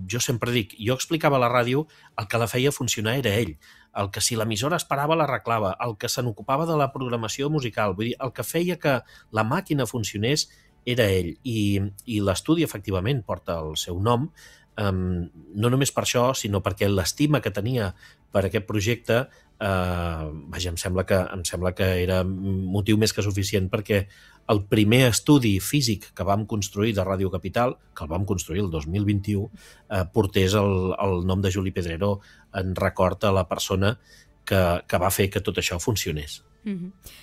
jo sempre dic, jo explicava a la ràdio, el que la feia funcionar era ell, el que si l'emissora es parava l'arreglava, el que se n'ocupava de la programació musical, vull dir, el que feia que la màquina funcionés era ell. I l'estudi, efectivament, porta el seu nom, no només per això, sinó perquè l'estima que tenia per aquest projecte, vaja, em sembla que era motiu més que suficient perquè el primer estudi físic que vam construir de Ràdio Capital, que el vam construir el 2021, portés el nom de Juli Pedrero en record a la persona que va fer que tot això funcionés.